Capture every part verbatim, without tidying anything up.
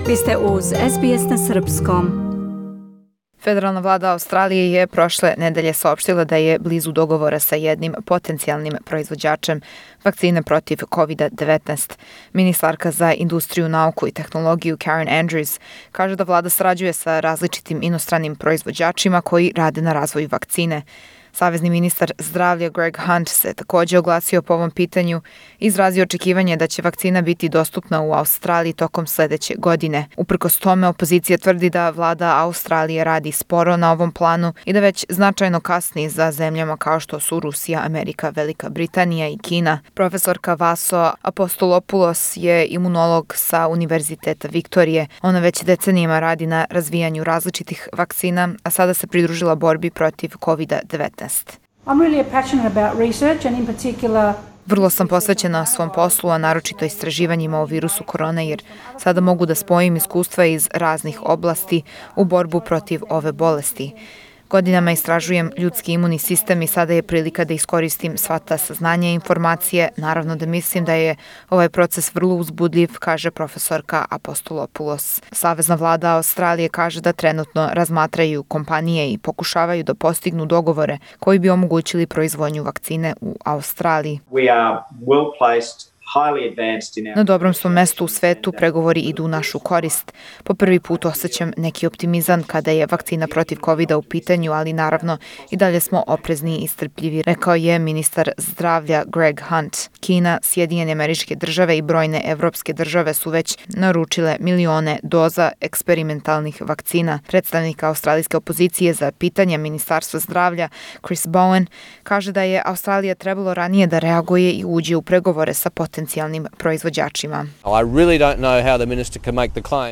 Vi ste uz S B S na srpskom. Federalna vlada Australije je prošle nedelje saopštila da je blizu dogovora sa jednim potencijalnim proizvođačem vakcine protiv kovid devetnaest. Ministarka za industriju, nauku i tehnologiju Karen Andrews kaže da vlada sarađuje sa različitim inostranim proizvođačima koji rade na razvoju vakcine. Savezni ministar zdravlja Greg Hunt se također oglasio po ovom pitanju i izrazio očekivanje da će vakcina biti dostupna u Australiji tokom sljedeće godine. Uprkos tome, opozicija tvrdi da vlada Australije radi sporo na ovom planu i da već značajno kasni za zemljama kao što su Rusija, Amerika, Velika Britanija i Kina. Profesorka Vaso Apostolopoulos je imunolog sa Univerziteta Viktorije. Ona već decenijama radi na razvijanju različitih vakcina, a sada se pridružila borbi protiv kovid devetnaest. I'm really passionate about research and in particular Vrlo sam posvećena svom poslu, a naročito istraživanjima o virusu korona, jer sada mogu da spojim iskustva iz raznih oblasti u borbu protiv ove bolesti. Godinama istražujem ljudski imunni sistem i sada je prilika da iskoristim sva ta saznanja i informacije. Naravno da mislim da je ovaj proces vrlo uzbudljiv, kaže profesorka Apostolopoulos. Savezna vlada Australije kaže da trenutno razmatraju kompanije i pokušavaju da postignu dogovore koji bi omogućili proizvodnju vakcine u Australiji. We are well placed. Na dobrom smo mestu u svetu, pregovori idu u našu korist. Po prvi put osjećam neki optimizam kada je vakcina protiv kovida u pitanju, ali naravno i dalje smo oprezni i strpljivi, rekao je ministar zdravlja Greg Hunt. Kina, Sjedinjene Američke Države i brojne evropske države su već naručile milione doza eksperimentalnih vakcina. Predstavnik australijske opozicije za pitanja Ministarstva zdravlja Chris Bowen kaže da je Australija trebalo ranije da reaguje i uđe u pregovore sa potencijalnim potencijalnim proizvođačima.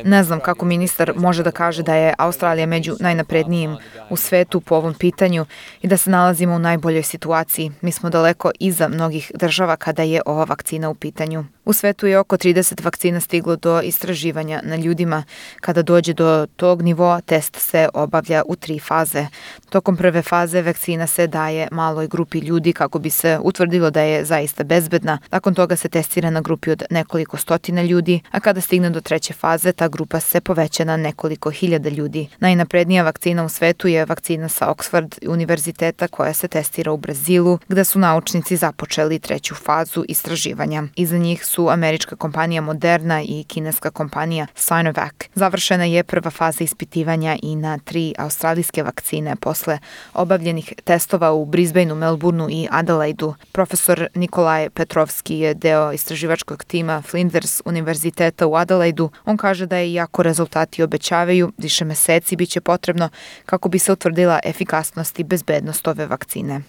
Ne znam kako ministar može da kaže da je Australija među najnaprednijim u svetu po ovom pitanju i da se nalazimo u najboljoj situaciji. Mi smo daleko iza mnogih država kada je ova vakcina u pitanju. U svetu je oko trideset vakcina stiglo do istraživanja na ljudima. Kada dođe do tog nivoa, test se obavlja u tri faze. Tokom prve faze vakcina se daje maloj grupi ljudi kako bi se utvrdilo da je zaista bezbedna. Nakon toga se testira na grupi od nekoliko stotina ljudi, a kada stigne do treće faze, ta grupa se poveća na nekoliko hiljada ljudi. Najnaprednija vakcina u svetu je vakcina sa Oxford univerziteta koja se testira u Brazilu, gde su naučnici započeli treću fazu istraživanja. Iza njih su američka kompanija Moderna i kineska kompanija Sinovac. Završena je prva faza ispitivanja i na tri australijske vakcine posle obavljenih testova u Brisbaneu, Melbourneu i Adelaidu. Profesor Nikolaj Petrovski je deo istraživačkog tima Flinders univerziteta u Adelaidu. On kaže da je iako rezultati obećavaju, više meseci biće potrebno kako bi se utvrdila efikasnost i bezbednost ove vakcine.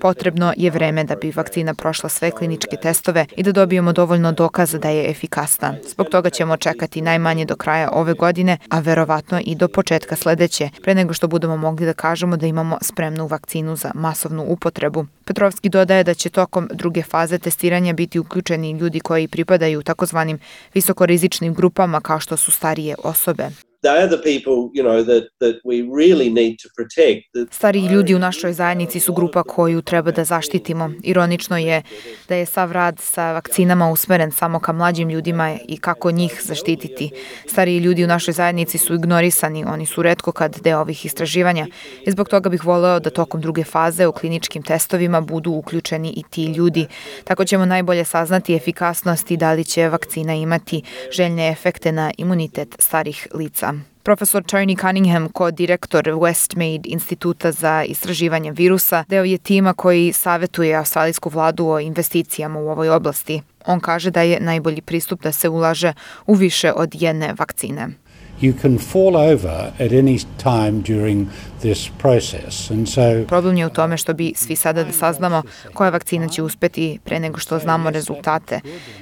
Potrebno je vreme da bi vakcina prošla sve kliničke testove i da dobijemo dovoljno dokaza da je efikasna. Zbog toga ćemo čekati najmanje do kraja ove godine, a verovatno i do početka sledeće, pre nego što budemo mogli da kažemo da imamo spremnu vakcinu za masovnu upotrebu. Petrovski dodaje da će tokom druge faze testiranja biti uključeni ljudi koji pripadaju takozvanim visokorizičnim grupama kao što su starije osobe. Stariji ljudi u našoj zajednici su grupa koju treba da zaštitimo. Ironično je da je sav rad sa vakcinama usmeren samo ka mlađim ljudima i kako njih zaštititi. Stariji ljudi u našoj zajednici su ignorisani, oni su retko kad deo ovih istraživanja i zbog toga bih voleo da tokom druge faze u kliničkim testovima budu uključeni i ti ljudi. Tako ćemo najbolje saznati efikasnost i da li će vakcina imati željne efekte na imunitet starih lica. Profesor Tony Cunningham, ko-direktor Westmead instituta za istraživanje virusa, deo je tima koji savetuje australijsku vladu o investicijama u ovoj oblasti. On kaže da je najbolji pristup da se ulaže u više od jedne vakcine. You can fall over at any time during this process. And so Problem je u tome što bi svi sada da saznamo koja vakcina će uspeti pre nego što znamo rezultate.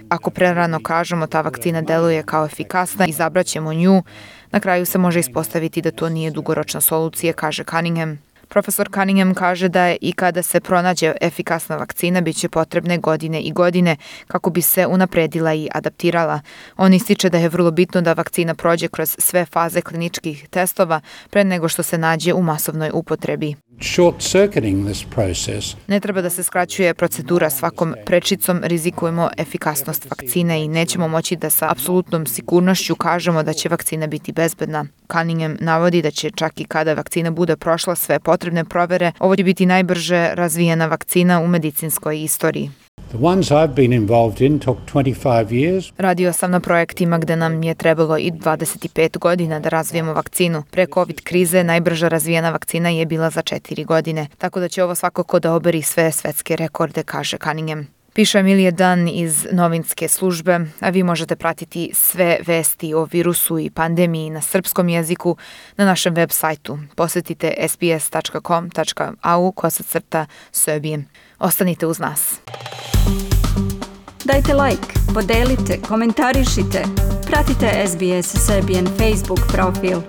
Ako prerano kažemo ta vakcina deluje kao efikasna, izabraćemo nju, na kraju se može ispostaviti da to nije dugoročna solucija, kaže Cunningham. Profesor Cunningham kaže da je i kada se pronađe efikasna vakcina bit će potrebne godine i godine kako bi se unapredila i adaptirala. On ističe da je vrlo bitno da vakcina prođe kroz sve faze kliničkih testova pre nego što se nađe u masovnoj upotrebi. Short-circuiting this process. Ne treba da se skraćuje procedura svakom prečicom, rizikujemo efikasnost vakcine i nećemo moći da sa apsolutnom sigurnošću kažemo da će vakcina biti bezbedna. Cunningham navodi da će čak i kada vakcina bude prošla sve potrebne provere, ovo će biti najbrže razvijena vakcina u medicinskoj istoriji. The ones I've been involved in took twenty-five years. Radio sam na projektima gde nam je trebalo i dvadeset pet godina da razvijemo vakcinu. Pre COVID krize najbrža razvijena vakcina je bila za četiri godine, tako da će ovo svakako da oberi sve svetske rekorde, kaže Cunningham. Piše Emilija Dan iz novinske službe, a vi možete pratiti sve vesti o virusu i pandemiji na srpskom jeziku na našem web sajtu. Posetite s b s tačka com tačka a u kosacrta Srbije. Ostanite uz nas. Dajte like, podelite, komentarišite. Pratite S B S Serbian Facebook profil.